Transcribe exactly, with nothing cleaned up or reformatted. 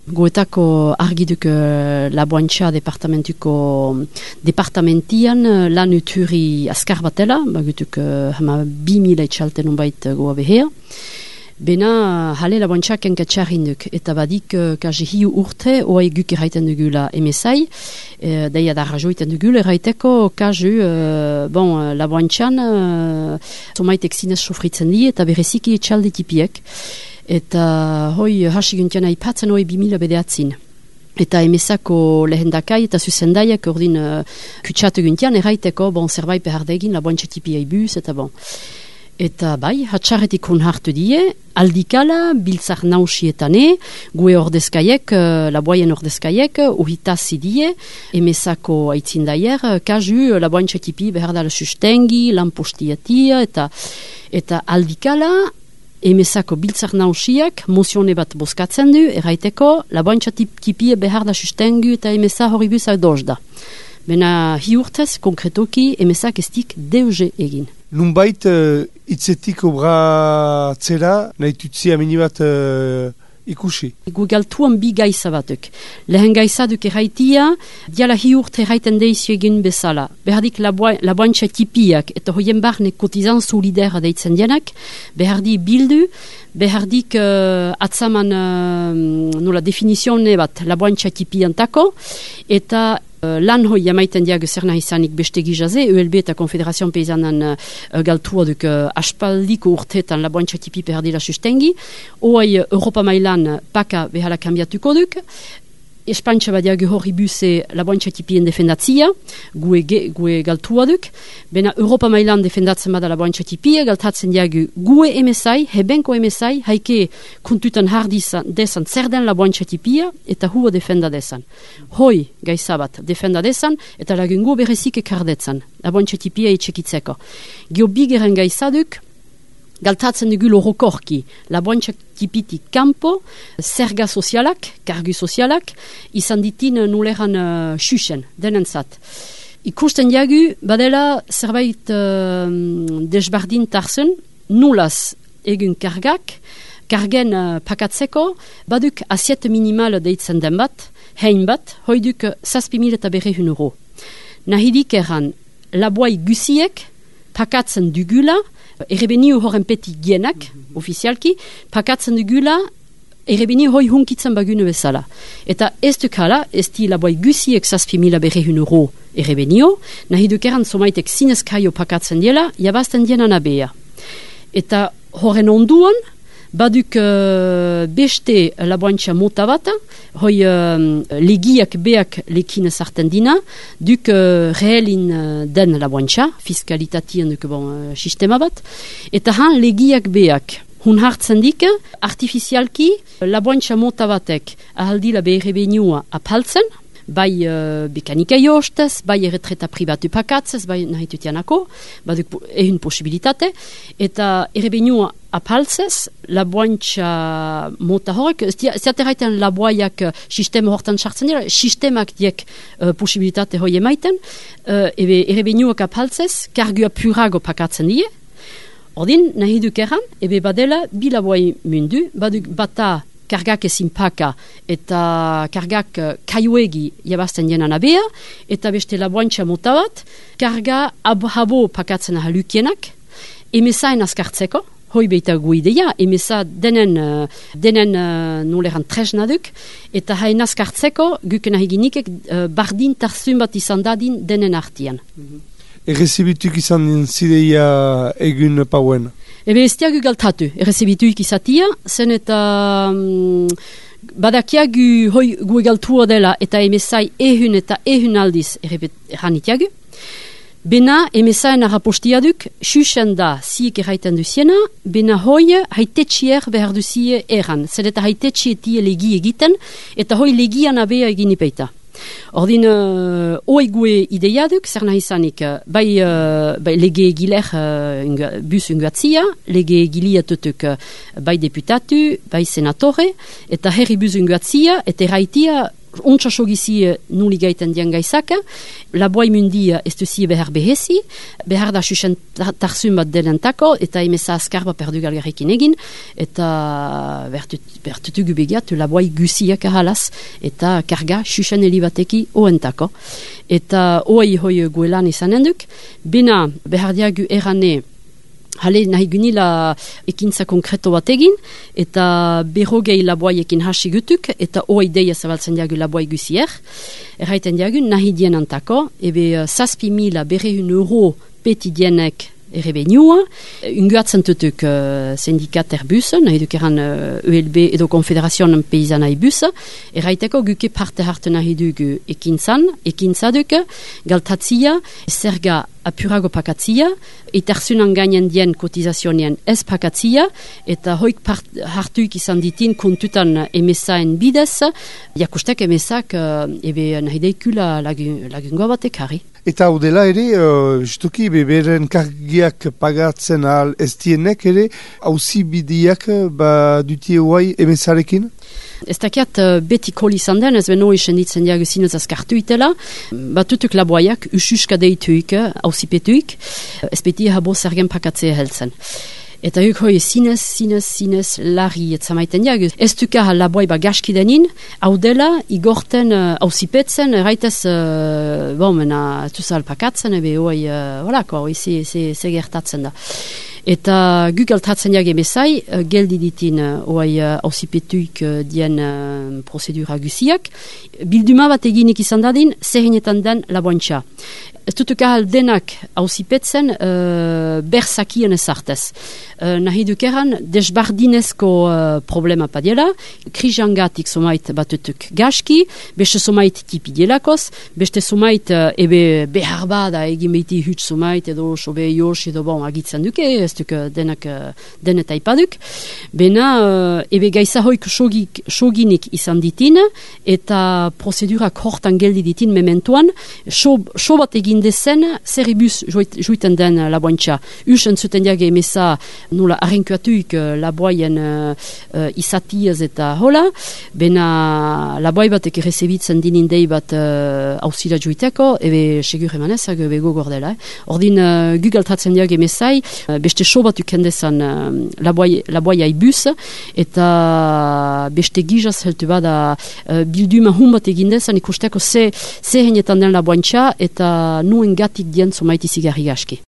Goetako argiduk uh, laboantxa departamentuko departamentian uh, lan uturi askar batela, bagutuk uh, hama bi mila etxalten unbait uh, goa behea. Bena hale laboantxa kenkatxarrinduk, eta badik uh, kazi hiu urte oai guk erraiten dugula emesai, uh, daia da rajoiten dugula erraiteko kazu uh, bon, uh, laboantxan uh, somaitek zinez sofritzen di eta bereziki etxalde tipiek. Eta hoi hasi guntian aipatzen hoi bimila bedeatzin. Eta emesako lehendakai eta zuzendaiak ordin uh, kutsatu guntian erraiteko, bon, zerbait behar degin, laboantxa tipia ibuz, eta bon. Eta bai, hatxarretik hon hartu die, aldikala, biltzar nausietane, gue ordezkaiek, uh, laboaien ordezkaiek, uhitazi die, emesako aitzindaier, uh, kazu laboantxa tipi behar dala sustengi, lanpostiatia, eta, eta aldikala, emesako biltzar nausiak mozione bat bozkatzen du, erraiteko, laboantxa tipie behar da sustengu eta emesa horibuz adoz da. Bena hi urtez, konkretoki, emesak estik deuze egin. Nunbait, uh, itzetik obratzera, nahi tutzi amini bat uh, ikusi. Gu galtuan bi gaiza batuk. Lehen gaiza duk erraitia, diala hi urte erraiten deizio egin bezala. Behardik laboantxa tipiak eta hoien barne kotizan solidera deitzen dienak, behardi bildu, behardik uh, atzaman uh, nola definizione bat laboantxa tipiantako, eta Uh, lan hoi jamaiten diago zer nahi izanik beste gizaze, U L B eta Konfederazion Peizanan uh, galtua duk uh, aspaldiko urteetan laboantxa tipi perdila sustengi, oai uh, Europa mailan paka behala kambiatuko duk, Espantxa badiago hori buze laboantxa tipien defendatzia, gue, gue galtua duk, bena Europa mailan defendatzen bada laboantxa tipia, galtatzen diago gue emesai, hebenko emesai, haike kontutan hardizan desan zer den laboantxa tipia, eta hua defenda desan. Hoi gaizabat defenda desan, eta lagungo berezik ekardetzen, laboantxa tipia etxekitzeko. Gio bigeren gaizaduk, galtatzen dugu lorokorki, laboantxa tipitik kampo, zerga sozialak, kargu sozialak, izan ditin nuleran uh, xuxen, denentzat. Ikusten diagu, badela zerbait uh, desbardin tarzen, nulaz egun kargak, kargen uh, pakatzeko, baduk asiet minimal deitzen den bat, hein bat, hoiduk zazpi mil eta berrehun euro. Nahidik erran, laboai guziek pakatzen dugula, errebeniu horren peti gienak, mm-hmm. ofizialki, pakatzen dugula, errebeniu hoi hunkitzen bagune bezala. Eta ez dukala, ez di laboai guziek zazpi mila berrehun euro errebeniu, nahi dukeran somaitek zinezkaio pakatzen diela, jabazten dienan abea. Eta horren onduan, baduk uh, beste laboantxa mota bat, hoi uh, legiak beak lekin sarten dina, duk uh, rehelin uh, den laboantxa, fiskalitatien duk bon, uh, sistema bat, eta han legiak beak. Hun hartzen dik, artifizialki laboantxa mota batek ahaldila beherrebenua apaltzen, bai uh, bekanika jostez, bai erretreta pribatu pakatzez, bai nahi tutianako, baduk ehun posibilitate, eta errebenua apaltzez, laboantxa mota horrek, ziateraiten laboaiak sistema hortan sartzen dira, sistemak diek uh, posibilitate hoi emaiten, uh, ebe errebenuak apaltzez, kargua purago pakatzen die, ordin nahi duk erran, ebe badela bi laboai mundu, baduk bata kargak ezin paka eta kargak kaiuegi jabazten jenan abea, eta beste laboantxa mota bat, karga abo pakatzen ahalukienak, emesaen askartzeko, hoi beita gu ideia, emesa denen, denen uh, noleran tresna duk, eta hain askartzeko, guken ahiginik uh, bardin tarzun bat izan dadin denen artian. Mm-hmm. Errezibituk izan zideia egun pauen? Ebe ez diagu galtatu, errezibituik izatia, zen eta um, badakiagu hoi gu galtua dela eta emesai ehun eta ehun aldiz erranitiagu. Bena emesaen arrapostiaduk, xuxen da ziek erraiten duziena, bena hoi haitetxier behar duzie erran. Zer eta haitetxietie legi egiten, eta hoi legian abea egin ipeita. Ordin, uh, oi gue ideiaduk, zer nahi izanik, bai, uh, bai lege egiler uh, unga, bus ungatzia, lege egiliatutuk uh, bai deputatu, bai senatore, eta herri bus ungatzia, eta erraitia Untsa sogizi nuli gaiten dian gaizaka, laboai mundia ez duzi behar behezi, behar da susen tarzun bat denentako, eta emeza azkarba perdu galgarrekin egin, eta bertutugu begiatu laboai guziak ahalaz, eta karga susen helibateki oentako. Eta oai hoi guelan izanen duk, bena behar diagu erane hale nahi gunila ekintza konkreto bat egin, eta berrogei laboaiekin hasi gutuk, eta oai deia zabaltzen diagu laboai guzier. Erraiten diagu nahi dienantako, ebe zazpi mila berrehun euro peti dienek errebenua, unguatzen tutuk uh, syndikat Airbus, nahi duk eran uh, E L B edo Konfederazioan Paysan Airbus, erraiteko guke parte hartu nahi dugu ekintzan, ekintzaduk, galtatzia, zerga apurago pakatzia, etarzunan gainen dien kotizazionien ez pakatzia, eta hoik hartuik izan ditin kontutan emesaen bidez, jakustek emesak uh, ebe nahi deikula lagungoa batek harri. Eta hau dela ere, uh, justuki beberen kargiak pagatzen ahal ez dienek ere, hauzi bidiak ba dutie huai emesarekin? Ez dakiat uh, beti kol izan den, ez beno esenditzen diago zinez azkartu itela, batutuk laboaiak ususka deituik, hauzipetuik, ez beti habo zergen pakatzea heltzen. Eta huk hoi zinez, zinez, zinez larri etzamaiten diago. Ez duka laboai ba gaski denin, hau dela, igorten hauzipetzen, uh, erraitez, uh, bon, mena, tuzal pakatzen, ebe hoi, uh, holako, hoi ze, ze, ze gertatzen da. Eta guk altratzen diag emezai, uh, geldi ditin hoi uh, hauzipetuik uh, dien uh, prozedura guziak, bilduma bat eginik izan dadin, zerrinetan den laboantxa. Ez dutuk ahal denak hauzipetzen uh, berzakien ezartez. Uh, nahi dukeran, desbardinezko uh, problema padiela, krijangatik somait batutuk gaski, beste somait tipi dielakoz, beste somait uh, ebe behar bada egin behiti huts somait edo sobe jos edo bon agitzen duke, ez duk denak uh, denet aipaduk. Bena uh, ebe gaiza hoik sogik, soginik izan ditin, eta prozedurak hortan geldi ditin mementuan, so, so bat egin dezen, zerribus juiten den laboantxa. Usen zuten diage emeza nola arrenkuatuik laboaien uh, uh, izatiaz eta hola, bena laboai batek errezebitzen dinin dei bat hausila uh, juiteko, ebe segur emanezak ebe gogor dela. Eh? Ordin uh, gugaltatzen diage emezai, uh, beste so bat ukendezan uh, laboai aibus, eta beste gizaz heltu bada uh, bilduma hun bat egindezan ikusteko ze, ze henetan den laboantxa, eta nuen gatik dien somaiti zigarri gaski.